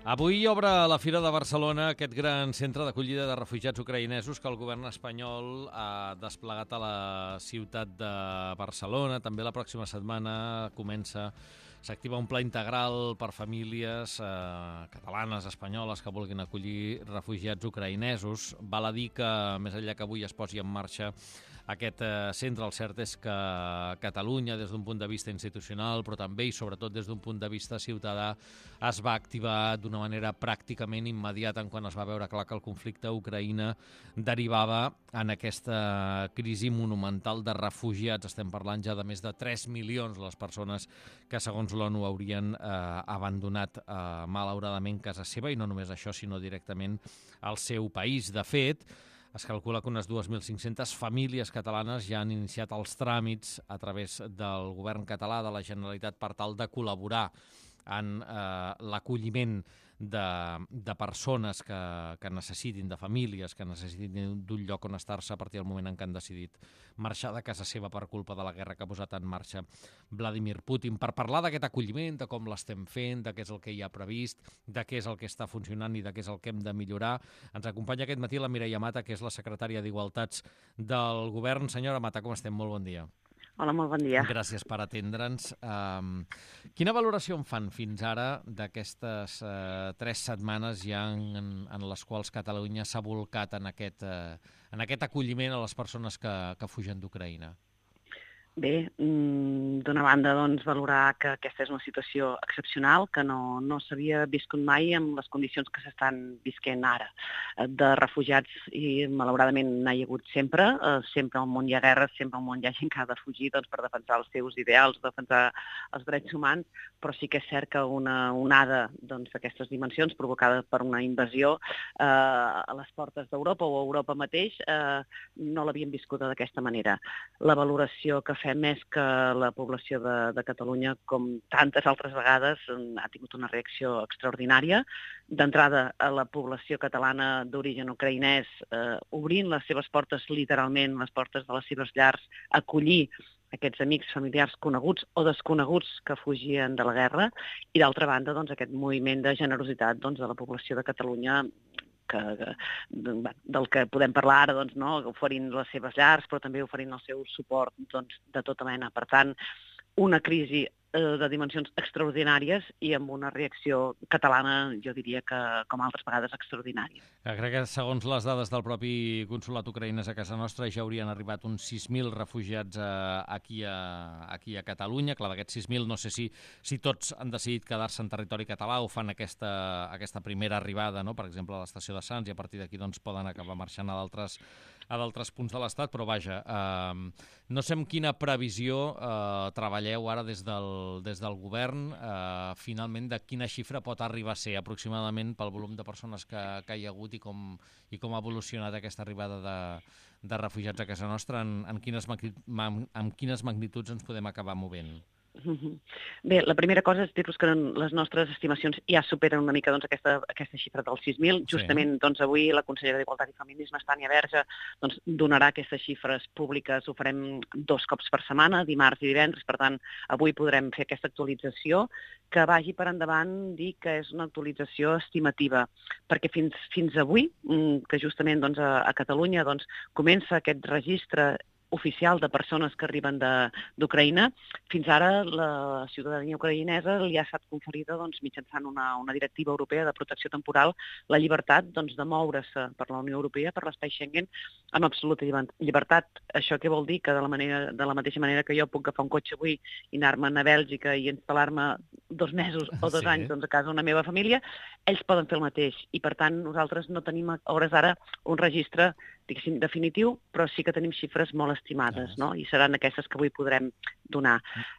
Avui obre a la Fira de Barcelona aquest gran centre d'acollida de refugiats ucraïnesos que el govern espanyol ha desplegat a la ciutat de Barcelona. També la pròxima setmana s'activa un pla integral per famílies catalanes, espanyoles, que vulguin acollir refugiats ucraïnesos. Val a dir que, més enllà que avui es posi en marxa aquest centre, el cert és que Catalunya, des d'un punt de vista institucional, però també i sobretot des d'un punt de vista ciutadà, es va activar d'una manera pràcticament immediata en quan es va veure clar que el conflicte a Ucraïna derivava en aquesta crisi monumental de refugiats. Estem parlant ja de més de 3 milions les persones que, segons l'ONU, haurien abandonat malauradament casa seva, i no només això, sinó directament al seu país. De fet, es calcula que unes 2.500 famílies catalanes ja han iniciat els tràmits a través del govern català, de la Generalitat, per tal de col·laborar en l'acolliment de persones que necessitin, de famílies que necessitin d'un lloc on estar-se a partir del moment en què han decidit marxar de casa seva per culpa de la guerra que ha posat en marxa Vladimir Putin. Per parlar d'aquest acolliment, de com l'estem fent, de què és el que hi ha previst, de què és el que està funcionant i de què és el que hem de millorar, ens acompanya aquest matí la Mireia Mata, que és la secretària d'Igualtats del govern. Senyora Mata, com estem? Molt bon dia. Hola, molt bon dia. Gràcies per atendre'ns. Quina valoració en fan fins ara d'aquestes 3 setmanes ja en les quals Catalunya s'ha volcat en aquest acolliment a les persones que fugen d'Ucraïna? Bé, d'una banda, doncs, valorar que aquesta és una situació excepcional, que no s'havia viscut mai en les condicions que s'estan visquent ara. De refugiats, i malauradament n'hi ha hagut sempre, sempre al món hi ha guerres, sempre al món hi ha gent que ha de fugir per defensar els seus ideals, defensar els drets humans, però sí que és cert que una onada d'aquestes dimensions provocada per una invasió a les portes d'Europa o a Europa mateix no l'havíem viscuda d'aquesta manera. La valoració que fem és que la població de Catalunya, com tantes altres vegades, ha tingut una reacció extraordinària. D'entrada, a la població catalana d'origen ucraïnès, obrint les seves portes, literalment, les portes de les seves llars, acollir aquests amics, familiars coneguts o desconeguts que fugien de la guerra, i d'altra banda, aquest moviment de generositat de la població de Catalunya, del que podem parlar ara, oferint les seves llars, però també oferint el seu suport de tota mena. Per tant, una crisi de dimensions extraordinàries i amb una reacció catalana, jo diria que, com altres vegades, extraordinària. Crec que, segons les dades del propi consolat ucraïnès a casa nostra, ja haurien arribat uns 6.000 refugiats aquí a Catalunya. Clar, d'aquests 6.000 no sé si tots han decidit quedar-se en territori català o fan aquesta primera arribada, no? Per exemple, a l'estació de Sants, i a partir d'aquí poden acabar marxant a d'altres punts de l'Estat, però vaja, no sé amb quina previsió treballeu ara des del govern, finalment, de quina xifra pot arribar a ser aproximadament pel volum de persones que hi ha hagut i com ha evolucionat aquesta arribada de refugiats a casa nostra, en quines magnituds ens podem acabar movent? Bé, la primera cosa és dir-vos que les nostres estimacions ja superen una mica aquesta xifra dels 6.000. Justament avui la consellera d'Igualtat i Feminismes, Tània Verge, donarà aquestes xifres públiques. Ho farem 2 cops per setmana, dimarts i divendres. Per tant, avui podrem fer aquesta actualització, que vagi per endavant dir que és una actualització estimativa, perquè fins avui, que justament a Catalunya comença aquest registre oficial de persones que arriben d'Ucraïna, fins ara la ciutadania ucraïnesa li ha estat conferida mitjançant una directiva europea de protecció temporal la llibertat de moure's per la Unió Europea, per l'espai Schengen, amb absoluta llibertat. Això què vol dir? Que de la mateixa manera que jo puc agafar un cotxe avui i anar-me'n a Bèlgica i instal·lar-me 2 mesos o 2 anys a casa d'una meva família, ells poden fer el mateix. I per tant nosaltres no tenim a hores d'ara un registre definitiu, però sí que tenim xifres molt estimades, no? I seran aquestes que avui podrem donar.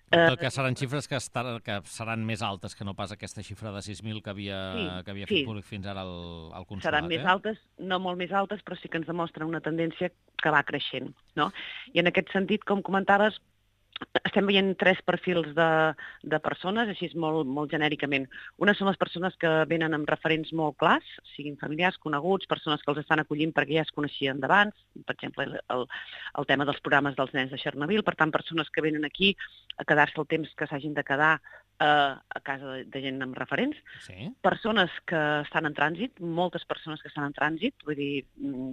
En tot cas, seran xifres que seran més altes que no pas aquesta xifra de 6.000 que havia fet públic fins ara el consolat. Seran més altes, no molt més altes, però sí que ens demostren una tendència que va creixent, no? I en aquest sentit, com comentaves, estem veient 3 perfils de persones, així molt genèricament. Una són les persones que venen amb referents molt clars, siguin familiars, coneguts, persones que els estan acollint perquè ja es coneixien d'abans, per exemple, el tema dels programes dels nens de Chernobyl, per tant, persones que venen aquí a quedar-se el temps que s'hagin de quedar a casa de gent amb referents, Sí. persones que estan en trànsit, moltes persones que estan en trànsit, vull dir,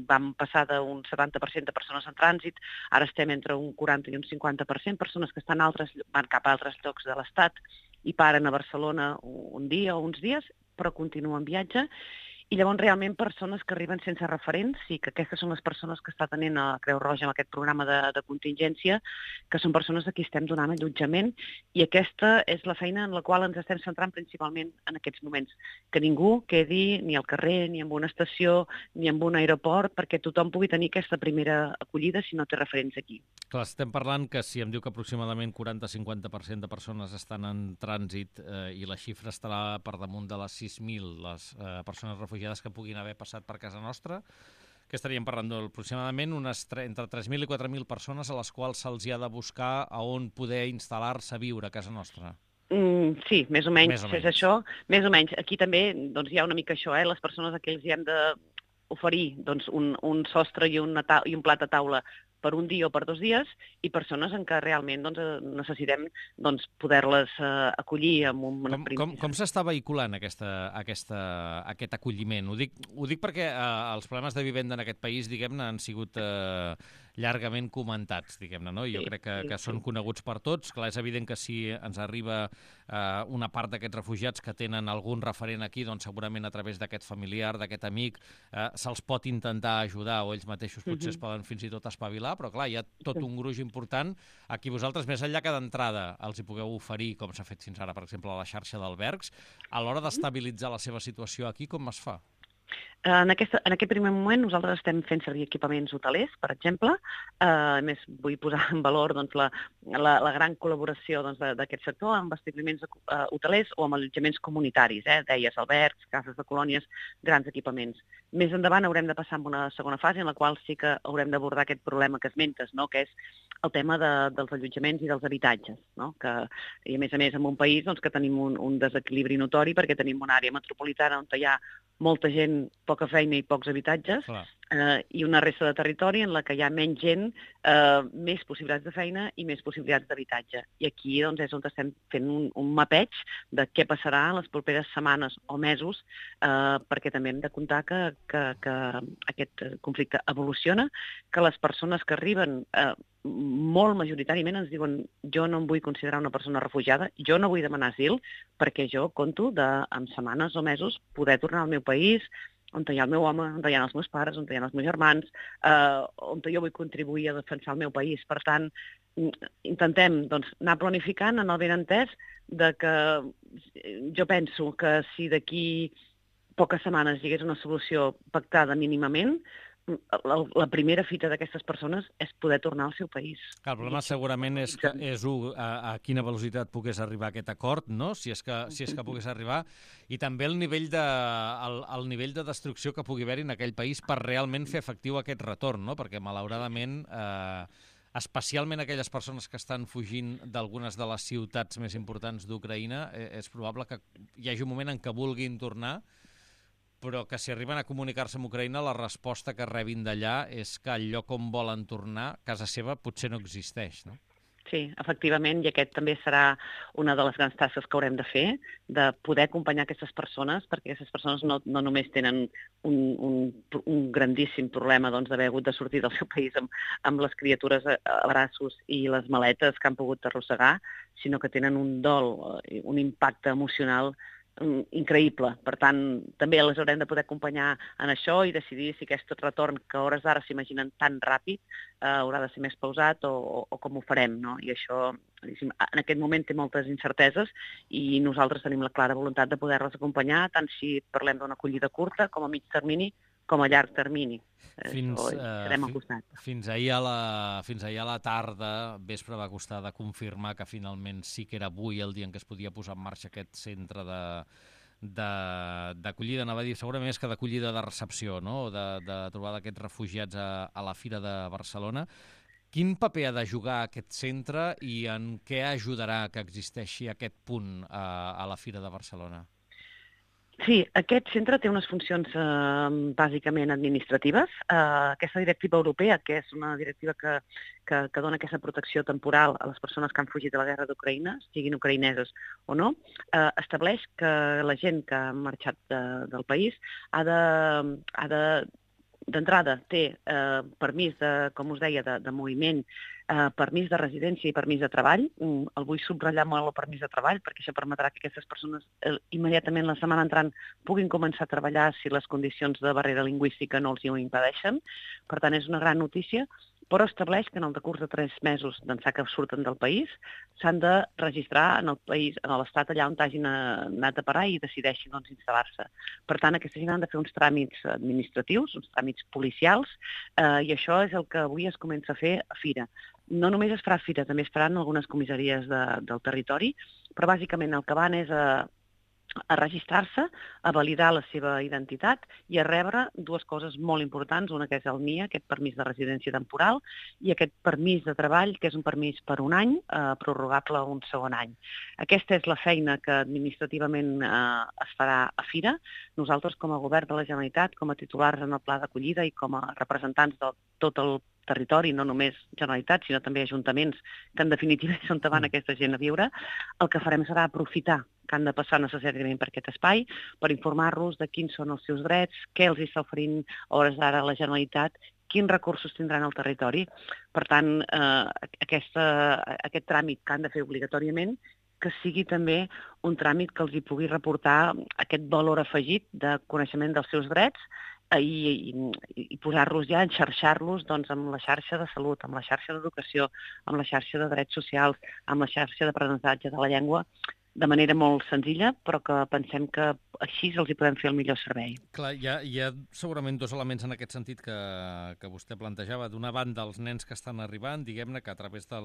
vam passar d'un 70% de persones en trànsit, ara estem entre un 40 i un 50%, persones que van cap a altres llocs de l'Estat i paren a Barcelona un dia o uns dies, però continuen viatge. I llavors realment persones que arriben sense referents i que aquestes són les persones que està tenint a Creu Roja amb aquest programa de contingència, que són persones a qui estem donant allotjament, i aquesta és la feina en la qual ens estem centrant principalment en aquests moments. Que ningú quedi ni al carrer, ni en una estació, ni en un aeroport, perquè tothom pugui tenir aquesta primera acollida si no té referents aquí. Clar, estem parlant que si em diu que aproximadament 40-50% de persones estan en trànsit i la xifra estarà per damunt de les 6.000, les persones refugiades que puguin haver passat per casa nostra, que estaríem parlant aproximadament entre 3.000 i 4.000 persones a les quals se'ls ha de buscar a on poder instal·lar-se a viure a casa nostra. Sí, més o menys, Més o menys. és això. Més o menys. Aquí també doncs, hi ha una mica això, les persones a qui els hi hem d'oferir doncs, un sostre i un plat a taula per un dia o per 2 dies, i persones en què realment doncs, necessitem doncs, poder-les acollir amb una Com s'està vehiculant aquest acolliment? Ho dic perquè els problemes de vivenda en aquest país, diguem-ne, han sigut llargament comentats, diguem-ne, no? Jo crec que són coneguts per tots. Clar, és evident que si ens arriba una part d'aquests refugiats que tenen algun referent aquí, doncs segurament a través d'aquest familiar, d'aquest amic, se'ls pot intentar ajudar o ells mateixos potser es poden fins i tot espavilar, però clar, hi ha tot un gruix important a qui vosaltres, més enllà que d'entrada els hi pugueu oferir, com s'ha fet fins ara, per exemple, a la xarxa d'albergs, a l'hora d'estabilitzar la seva situació aquí, com es fa? En aquest primer moment nosaltres estem fent servir equipaments hotelers, per exemple. A més, vull posar en valor doncs, la gran col·laboració doncs, d'aquest sector amb establiments hotelers o amb allotjaments comunitaris, deies, albergs, cases de colònies, grans equipaments. Més endavant haurem de passar a una segona fase en la qual sí que haurem d'abordar aquest problema que esmentes, no? Que és el tema dels allotjaments i dels habitatges, no? I a més en un país doncs, que tenim un desequilibri notori perquè tenim una àrea metropolitana on hi ha molta gent, poca feina i pocs habitatges, i una resta de territori en la que hi ha menys gent, més possibilitats de feina i més possibilitats d'habitatge. I aquí doncs, és on estem fent un mapeig de què passarà en les properes setmanes o mesos, perquè també hem de comptar que aquest conflicte evoluciona, que les persones que arriben molt majoritàriament ens diuen jo no em vull considerar una persona refugiada, jo no vull demanar asil, perquè jo conto en setmanes o mesos poder tornar al meu país, on hi ha el meu home, on hi ha els meus pares, on hi ha els meus germans, on jo vull contribuir a defensar el meu país. Per tant, intentem doncs, anar planificant en el benentès de que jo penso que si d'aquí poques setmanes hi hagués una solució pactada mínimament, la primera fita d'aquestes persones és poder tornar al seu país. El problema segurament és a quina velocitat pogués arribar aquest acord, no? Si és que pogués arribar, i també el nivell de destrucció que pugui haver-hi en aquell país per realment fer efectiu aquest retorn, no? Perquè malauradament, especialment aquelles persones que estan fugint d'algunes de les ciutats més importants d'Ucraïna, és probable que hi hagi un moment en què vulguin tornar, però que si arriben a comunicar-se amb Ucraïna, la resposta que rebin d'allà és que el lloc on volen tornar, casa seva, potser no existeix, no? Sí, efectivament, i aquest també serà una de les grans tasques que haurem de fer, de poder acompanyar aquestes persones, perquè aquestes persones no només tenen un grandíssim problema doncs, d'haver hagut de sortir del seu país amb les criatures a braços i les maletes que han pogut arrossegar, sinó que tenen un dol, un impacte emocional increïble. Per tant, també les haurem de poder acompanyar en això i decidir si aquest retorn, que a hores d'ara s'imaginen tan ràpid, haurà de ser més pausat o com ho farem, no? I això, en aquest moment, té moltes incerteses i nosaltres tenim la clara voluntat de poder-les acompanyar, tant si parlem d'una acollida curta com a mig termini, com a llarg termini. Estarem al costat. Fins ahir a la tarda, vespre, va costar de confirmar que finalment sí que era avui el dia en què es podia posar en marxa aquest centre d'acollida, anava a dir, segurament més que d'acollida de recepció, no? De trobar d'aquests refugiats a la Fira de Barcelona. Quin paper ha de jugar aquest centre i en què ajudarà que existeixi aquest punt a la Fira de Barcelona? Sí, aquest centre té unes funcions bàsicament administratives. Aquesta directiva europea, que és una directiva que dona aquesta protecció temporal a les persones que han fugit de la guerra d'Ucraïna, siguin ucraïneses o no, estableix que la gent que ha marxat del país d'entrada té permís com us deia, de moviment, permís de residència i permís de treball. El vull subratllar molt el permís de treball perquè això permetrà que aquestes persones immediatament la setmana entrant puguin començar a treballar si les condicions de barrera lingüística no els ho impedeixen. Per tant, és una gran notícia, però estableix que en el decurs de 3 mesos d'ençà que surten del país s'han de registrar en el país, en l'estat allà on hagin anat a parar i decideixin instal·lar-se. Per tant, aquesta gent han de fer uns tràmits administratius, uns tràmits policials, i això és el que avui es comença a fer a Fira. No només es farà a Fira, també es faran algunes comissaries del territori, però bàsicament el que van és a registrar-se, a validar la seva identitat i a rebre 2 coses molt importants, una que és el NIE, aquest permís de residència temporal, i aquest permís de treball, que és un permís per un any, prorrogable un segon any. Aquesta és la feina que administrativament es farà a Fira. Nosaltres, com a govern de la Generalitat, com a titulars en el pla d'acollida i com a representants de tot el territori, no només Generalitat, sinó també ajuntaments, que en definitiva és on van aquesta gent a viure, el que farem serà aprofitar que han de passar necessàriament per aquest espai, per informar-los de quins són els seus drets, què els està oferint a hores d'ara la Generalitat, quins recursos tindran al territori. Per tant, aquest tràmit que han de fer obligatòriament, que sigui també un tràmit que els hi pugui reportar aquest valor afegit de coneixement dels seus drets i posar-los ja, enxarxar-los amb la xarxa de salut, amb la xarxa d'educació, amb la xarxa de drets socials, amb la xarxa d'aprenentatge de la llengua, de manera molt senzilla, però que pensem que així els hi podem fer el millor servei. Clar, hi ha segurament 2 elements en aquest sentit que vostè plantejava. D'una banda, els nens que estan arribant, diguem-ne que a través de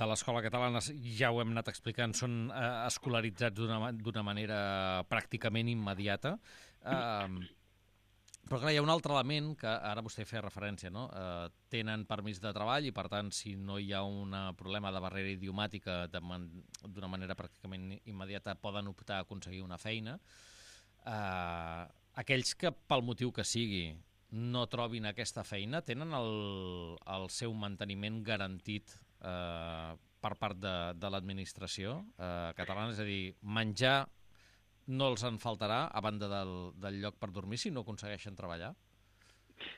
l'escola catalana, ja ho hem anat explicant, són escolaritzats d'una manera pràcticament immediata. Però clar, hi ha un altre element que ara vostè feia referència, no? Tenen permís de treball i, per tant, si no hi ha un problema de barrera idiomàtica d'una manera pràcticament immediata, poden optar a aconseguir una feina. Aquells que, pel motiu que sigui, no trobin aquesta feina, tenen el seu manteniment garantit per part de l'administració catalana? És a dir, menjar no els en faltarà, a banda del lloc per dormir, si no aconsegueixen treballar?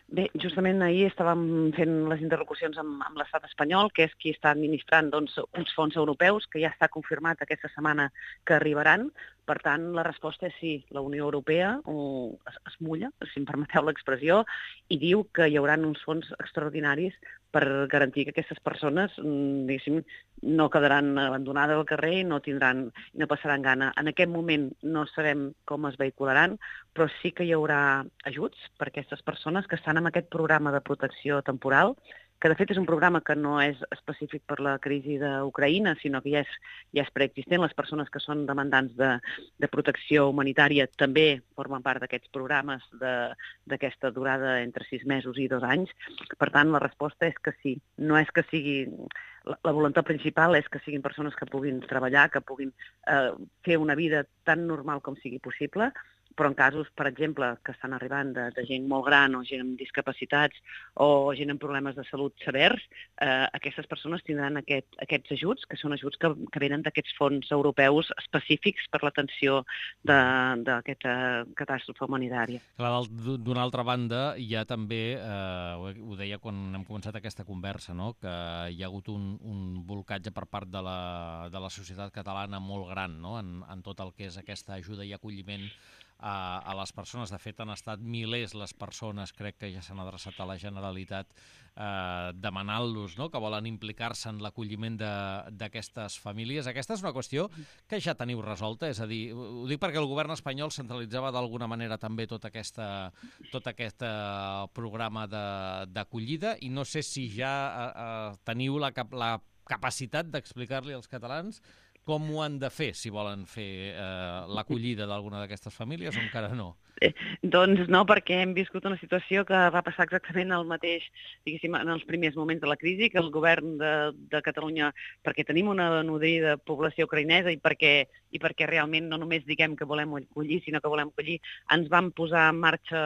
Bé, justament ahir estàvem fent les interlocucions amb l'estat espanyol, que és qui està administrant uns fons europeus, que ja està confirmat aquesta setmana que arribaran. Per tant, la resposta és sí. La Unió Europea es mulla, si em permeteu l'expressió, i diu que hi haurà uns fons extraordinaris per garantir que aquestes persones, diguéssim, no quedaran abandonades al carrer i no passaran gana. En aquest moment no sabem com es vehicularan, però sí que hi haurà ajuts per a aquestes persones que estan en aquest programa de protecció temporal, que de fet és un programa que no és específic per la crisi d'Ucraïna, sinó que ja és preexistent. Les persones que són demandants de protecció humanitària també formen part d'aquests programes d'aquesta durada entre 6 mesos i 2 anys. Per tant, la resposta és que sí. No és que sigui... La voluntat principal és que siguin persones que puguin treballar, que puguin fer una vida tan normal com sigui possible, però en casos, per exemple, que estan arribant de gent molt gran o gent amb discapacitats o gent amb problemes de salut severs, aquestes persones tindran aquests ajuts, que són ajuts que venen d'aquests fons europeus específics per l'atenció d'aquesta catàstrofe humanitària. D'una altra banda, hi ha també, ho deia quan hem començat aquesta conversa, no? Que hi ha hagut un bolcatge per part de la societat catalana molt gran, no? En tot el que és aquesta ajuda i acolliment a les persones. De fet, han estat milers les persones, crec que ja s'han adreçat a la Generalitat demanant-los, no?, que volen implicar-se en l'acolliment d'aquestes famílies. Aquesta és una qüestió que ja teniu resolta, és a dir, ho dic perquè el govern espanyol centralitzava d'alguna manera també tot aquest programa d'acollida, i no sé si ja teniu la capacitat d'explicar-li als catalans Com ho han de fer, si volen fer l'acollida d'alguna d'aquestes famílies o encara no? Doncs no, perquè hem viscut una situació que va passar exactament el mateix, diguéssim, en els primers moments de la crisi, que el govern de Catalunya, perquè tenim una nodrida població ucraïnesa i perquè realment no només diguem que volem acollir, sinó que volem acollir, ens vam posar en marxa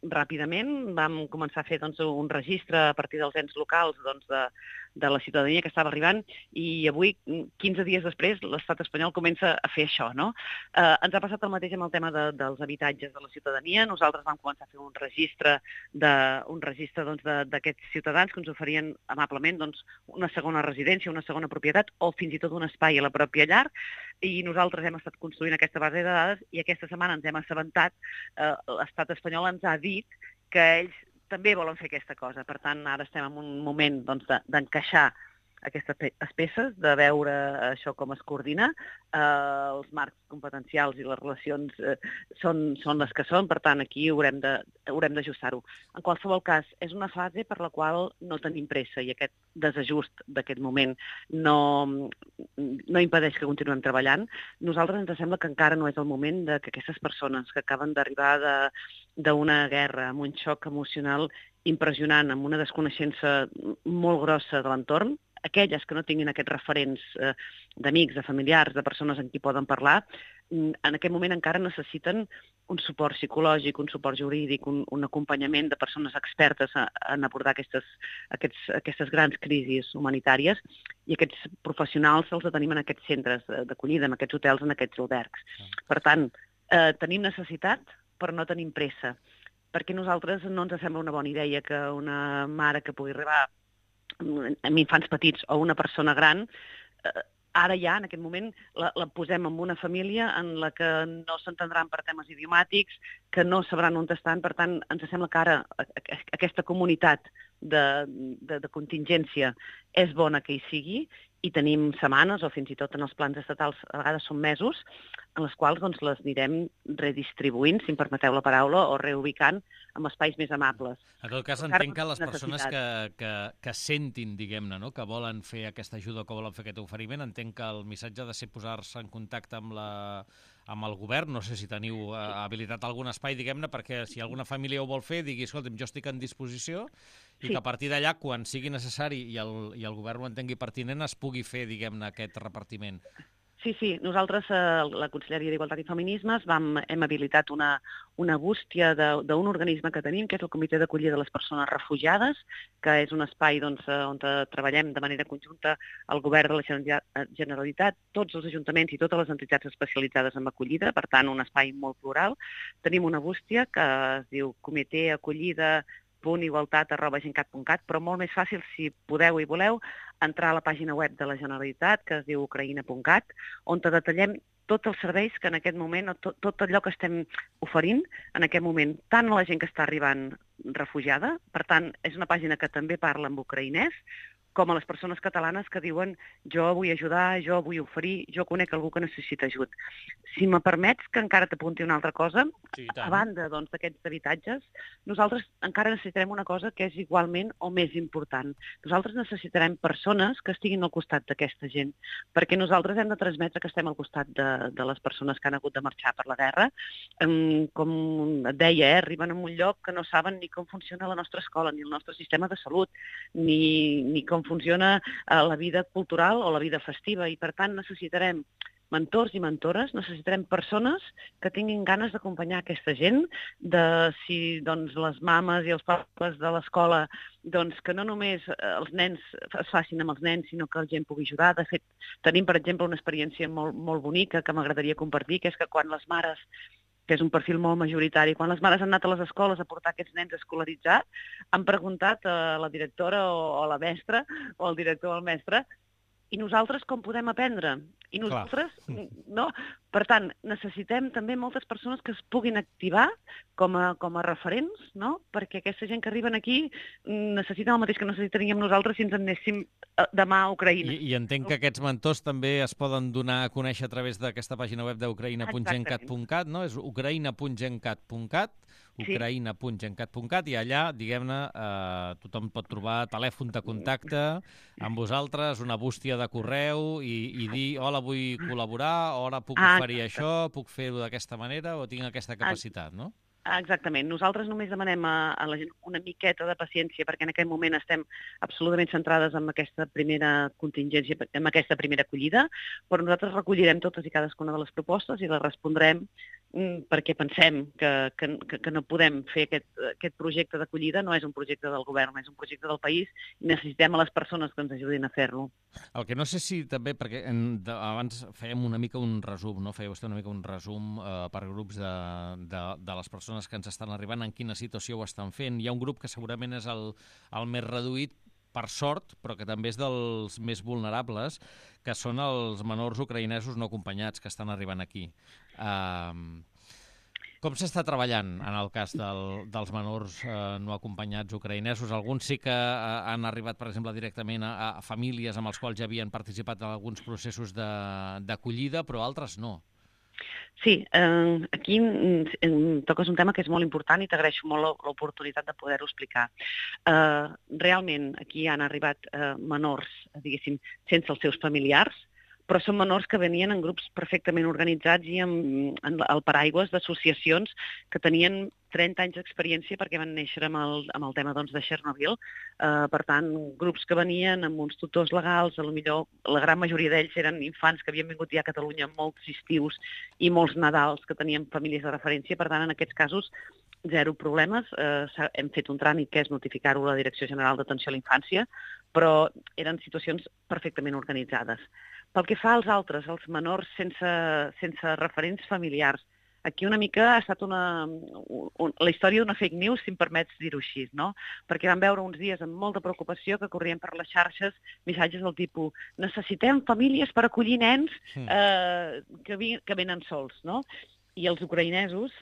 ràpidament, vam començar a fer un registre a partir dels ens locals de la ciutadania que estava arribant i avui, 15 dies després, l'estat espanyol comença a fer això, no? Ens ha passat el mateix amb el tema dels habitatges de la ciutadania. Nosaltres vam començar a fer un registre d'aquests ciutadans que ens oferien amablement una segona residència, una segona propietat o fins i tot un espai a la pròpia llar, i nosaltres hem estat construint aquesta base de dades i aquesta setmana ens hem assabentat, l'estat espanyol ens ha dit que ells també volen fer aquesta cosa. Per tant, ara estem en un moment d'encaixar aquestes peces, de veure això com es coordina. Els marcs competencials i les relacions són les que són, per tant, aquí haurem d'ajustar-ho. En qualsevol cas, és una fase per la qual no tenim pressa i aquest desajust d'aquest moment no impedeix que continuem treballant. Nosaltres ens sembla que encara no és el moment que aquestes persones que acaben d'arribar d'una guerra, amb un xoc emocional impressionant, amb una desconeixença molt grossa de l'entorn, aquelles que no tinguin aquests referents d'amics, de familiars, de persones amb qui poden parlar, en aquest moment encara necessiten un suport psicològic, un suport jurídic, un acompanyament de persones expertes en abordar aquestes grans crisis humanitàries, i aquests professionals els tenim en aquests centres d'acollida, en aquests hotels, en aquests albergs. Per tant, tenim necessitat, però no tenim pressa, perquè a nosaltres no ens sembla una bona idea que una mare que pugui arribar amb infants petits o una persona gran, ara ja, en aquest moment, la posem en una família en la que no s'entendran per temes idiomàtics, que no sabran on estan. Per tant, ens sembla que ara aquesta comunitat de contingència és bona que hi sigui, i tenim setmanes, o fins i tot en els plans estatals a vegades són mesos, en les quals les anirem redistribuint, si em permeteu la paraula, o reubicant en espais més amables. En tot cas, entenc que les persones que sentin, diguem-ne, no?, que volen fer aquesta ajuda, que volen fer aquest oferiment, entenc que el missatge ha de ser posar-se en contacte amb el govern. No sé si teniu habilitat algun espai, diguem-ne, perquè si alguna família ho vol fer, digui, escolta'm, jo estic en disposició, i que a partir d'allà, quan sigui necessari i el govern ho entengui pertinent, es pugui fer, diguem-ne, aquest repartiment. Sí. Nosaltres, la Conselleria d'Igualtat i Feminismes, hem habilitat una bústia d'un organisme que tenim, que és el Comitè d'Acollida de les Persones Refugiades, que és un espai on treballem de manera conjunta el Govern de la Generalitat, tots els ajuntaments i totes les entitats especialitzades en acollida, per tant, un espai molt plural. Tenim una bústia que es diu comitèacollida.igualtat@gencat.cat, però molt més fàcil, si podeu i voleu, entrar a la pàgina web de la Generalitat, que es diu ucraïna.cat, on detallem tots els serveis que en aquest moment, tot allò que estem oferint en aquest moment, tant a la gent que està arribant refugiada, per tant, és una pàgina que també parla en ucraïnès, com a les persones catalanes que diuen jo vull ajudar, jo vull oferir, jo conec algú que necessita ajut. Si me permets que encara t'apunti una altra cosa, sí, a banda d'aquests habitatges, nosaltres encara necessitarem una cosa que és igualment o més important. Nosaltres necessitarem persones que estiguin al costat d'aquesta gent, perquè nosaltres hem de transmetre que estem al costat de les persones que han hagut de marxar per la guerra. Com et deia, arriben a un lloc que no saben ni com funciona la nostra escola, ni el nostre sistema de salut, ni com funciona la vida cultural o la vida festiva, i per tant necessitarem mentors i mentores, necessitarem persones que tinguin ganes d'acompanyar aquesta gent, si les mames i els pares de l'escola, que no només els nens es facin amb els nens, sinó que la gent pugui ajudar. De fet, tenim, per exemple, una experiència molt, molt bonica que m'agradaria compartir, que és que quan les mares, que és un perfil molt majoritari, quan les mares han anat a les escoles a portar aquests nens escolaritzats, han preguntat a la directora o a la mestra, o al director o al mestre, i nosaltres com podem aprendre? I nosaltres, no? Per tant, necessitem també moltes persones que es puguin activar com a referents, no? Perquè aquesta gent que arriben aquí necessita el mateix que necessitaríem nosaltres si ens en anéssim demà a Ucraïna. I entenc que aquests mentors també es poden donar a conèixer a través d'aquesta pàgina web d'ucraïna.gencat.cat, no? És ucraïna.gencat.cat, ucraïna.gencat.cat, i allà, diguem-ne, tothom pot trobar telèfon de contacte amb vosaltres, una bústia de correu i dir, hola, escola vull col·laborar, o ara puc oferir això, puc fer-ho d'aquesta manera, o tinc aquesta capacitat, no? Exactament. Nosaltres només demanem a la gent una miqueta de paciència perquè en aquest moment estem absolutament centrades en aquesta primera contingència, en aquesta primera acollida, però nosaltres recollirem totes i cadascuna de les propostes i les respondrem perquè pensem que no podem fer aquest projecte d'acollida, no és un projecte del govern, és un projecte del país i necessitem a les persones que ens ajudin a fer-lo. El que no sé si també, perquè abans fèiem una mica un resum, no? Feia vostè una mica un resum per grups de les persones que ens estan arribant, en quina situació ho estan fent. Hi ha un grup que segurament és el més reduït, per sort, però que també és dels més vulnerables, que són els menors ucraïnesos no acompanyats que estan arribant aquí. Com s'està treballant en el cas dels menors no acompanyats ucraïnesos? Alguns sí que han arribat, per exemple, directament a famílies amb els quals ja havien participat en alguns processos d'acollida, però altres no. Sí, aquí toques un tema que és molt important i t'agraeixo molt l'oportunitat de poder-ho explicar. Realment, aquí han arribat menors, diguéssim, sense els seus familiars, però són menors que venien en grups perfectament organitzats i amb el paraigües d'associacions que tenien 30 anys d'experiència perquè van néixer amb el tema de Chernobyl. Per tant, grups que venien amb uns tutors legals, potser la gran majoria d'ells eren infants que havien vingut ja a Catalunya molts estius i molts Nadals que tenien famílies de referència. Per tant, en aquests casos, zero problemes. Hem fet un tràmit que és notificar-ho a la Direcció General d'Atenció a la Infància, però eren situacions perfectament organitzades. Pel que fa als altres, els menors sense referents familiars, aquí una mica ha estat la història d'una fake news, si em permets dir-ho així, no? Perquè vam veure uns dies amb molta preocupació que corrien per les xarxes missatges del tipus necessitem famílies per acollir nens que venen sols, no? I els ucraïnesos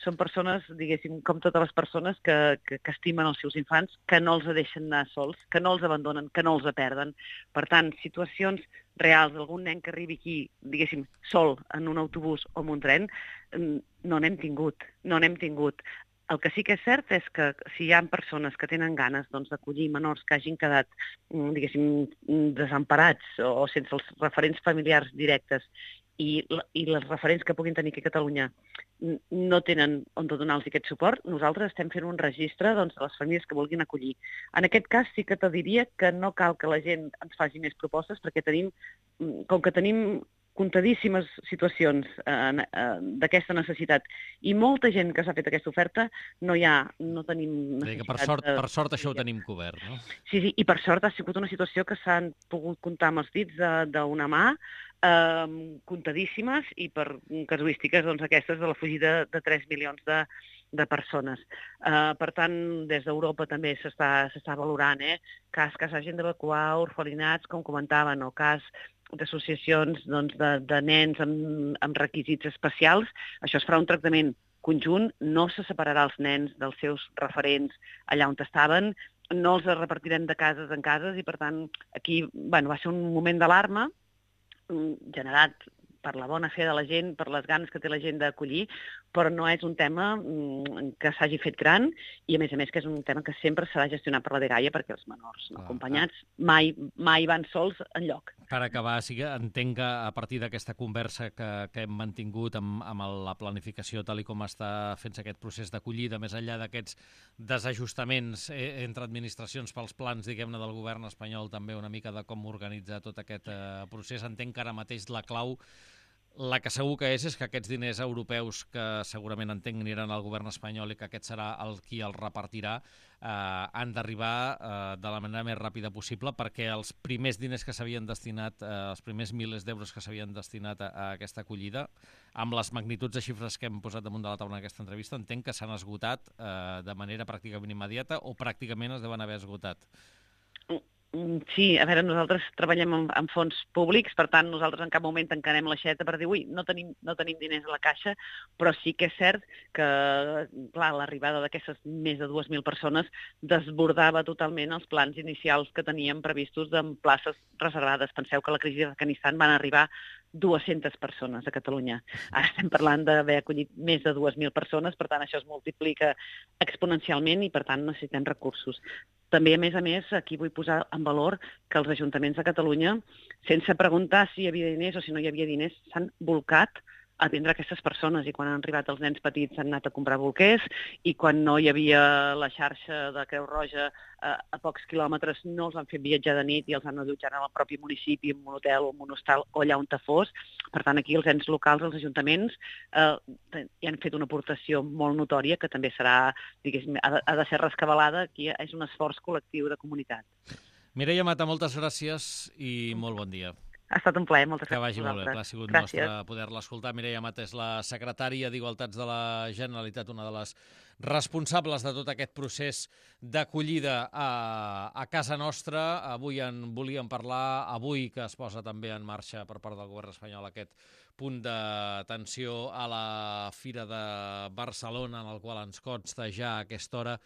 són persones, diguéssim, com totes les persones que estimen els seus infants, que no els deixen anar sols, que no els abandonen, que no els perden. Per tant, situacions reals d'algun nen que arribi aquí, diguéssim, sol en un autobús o en un tren, no n'hem tingut. El que sí que és cert és que si hi ha persones que tenen ganes d'acollir menors que hagin quedat, diguéssim, desemparats o sense els referents familiars directes i les referents que puguin tenir aquí a Catalunya no tenen on donar-los aquest suport, nosaltres estem fent un registre de les famílies que vulguin acollir. En aquest cas sí que te diria que no cal que la gent ens faci més propostes perquè com que tenim comptadíssimes situacions d'aquesta necessitat i molta gent que s'ha fet aquesta oferta, no tenim necessitat. Per sort això ho tenim cobert, no? Sí, i per sort ha sigut una situació que s'han pogut comptar amb els dits d'una mà, comptadíssimes i per casuístiques aquestes de la fugida de 3 milions de persones. Per tant, des d'Europa també s'està valorant cas que s'hagin d'evacuar orfelinats, com comentaven, o cas d'associacions de nens amb requisits especials. Això es farà un tractament conjunt, no se separarà els nens dels seus referents allà on estaven, no els repartirem de cases en cases i, per tant, aquí va ser un moment d'alarma generat per la bona fe de la gent, per les ganes que té la gent d'acollir, però no és un tema que s'hagi fet gran i, a més que és un tema que sempre serà gestionat per la dgaia perquè els menors no acompanyats mai van sols enlloc. Per acabar, sí que entenc que a partir d'aquesta conversa que hem mantingut amb la planificació tal i com està fent-se aquest procés d'acollida, més enllà d'aquests desajustaments entre administracions pels plans, diguem-ne, del govern espanyol, també una mica de com organitzar tot aquest procés, entenc que ara mateix la clau, la que segur que és que aquests diners europeus que segurament entenc aniran al govern espanyol i que aquest serà qui els repartirà han d'arribar de la manera més ràpida possible perquè els primers diners que s'havien destinat, els primers milers d'euros que s'havien destinat a aquesta acollida, amb les magnituds de xifres que hem posat damunt de la taula en aquesta entrevista, entenc que s'han esgotat de manera pràcticament immediata o pràcticament es deuen haver esgotat. Sí, a veure, nosaltres treballem amb fons públics, per tant, nosaltres en cap moment tancarem l'aixeta per dir, ui, no tenim diners a la caixa, però sí que és cert que, clar, l'arribada d'aquestes més de 2.000 persones desbordava totalment els plans inicials que teníem previstos de places reservades. Penseu que a la crisi d'Afganistan van arribar 200 persones a Catalunya. Ara estem parlant d'haver acollit més de 2.000 persones, per tant, això es multiplica exponencialment i, per tant, necessitem recursos. També, a més, aquí vull posar en valor que els ajuntaments de Catalunya, sense preguntar si hi havia diners o si no hi havia diners, s'han volcat a atendre aquestes persones, i quan han arribat els nens petits han anat a comprar bolquers, i quan no hi havia la xarxa de Creu Roja a pocs quilòmetres no els han fet viatjar de nit i els han allotjat en el propi municipi, en un hotel o en un hostal o allà on fos. Per tant, aquí els ens locals, els ajuntaments, hi han fet una aportació molt notòria que també serà, diguéssim, ha de ser rescabalada. Aquí és un esforç col·lectiu de comunitat. Mireia Mata, moltes gràcies i molt bon dia. Ha estat un plaer, moltes gràcies. Que vagi molt bé, ha sigut nostre poder-la escoltar. Mireia Mata és la secretària d'Igualtats de la Generalitat, una de les responsables de tot aquest procés d'acollida a casa nostra. Avui en volíem parlar, avui que es posa també en marxa per part del govern espanyol aquest punt d'atenció a la Fira de Barcelona, en el qual ens consta ja a aquesta hora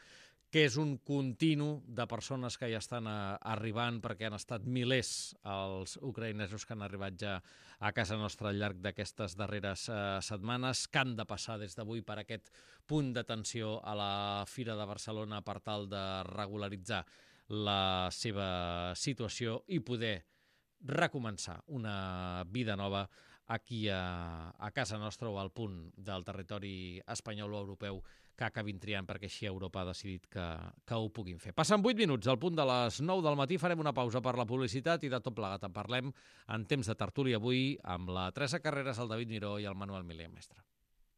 que és un continu de persones que ja estan arribant, perquè han estat milers els ucraïnesos que han arribat ja a casa nostra al llarg d'aquestes darreres setmanes, que han de passar des d'avui per aquest punt d'atenció a la Fira de Barcelona per tal de regularitzar la seva situació i poder recomençar una vida nova aquí a casa nostra o al punt del territori espanyol o europeu que acabin triant, perquè així Europa ha decidit que ho puguin fer. Passen 8 minuts, al punt de les 9 del matí, farem una pausa per la publicitat i de tot plegat en parlem en temps de tertúlia avui amb la Teresa Carreras, el David Miró i el Manuel Milé, mestre.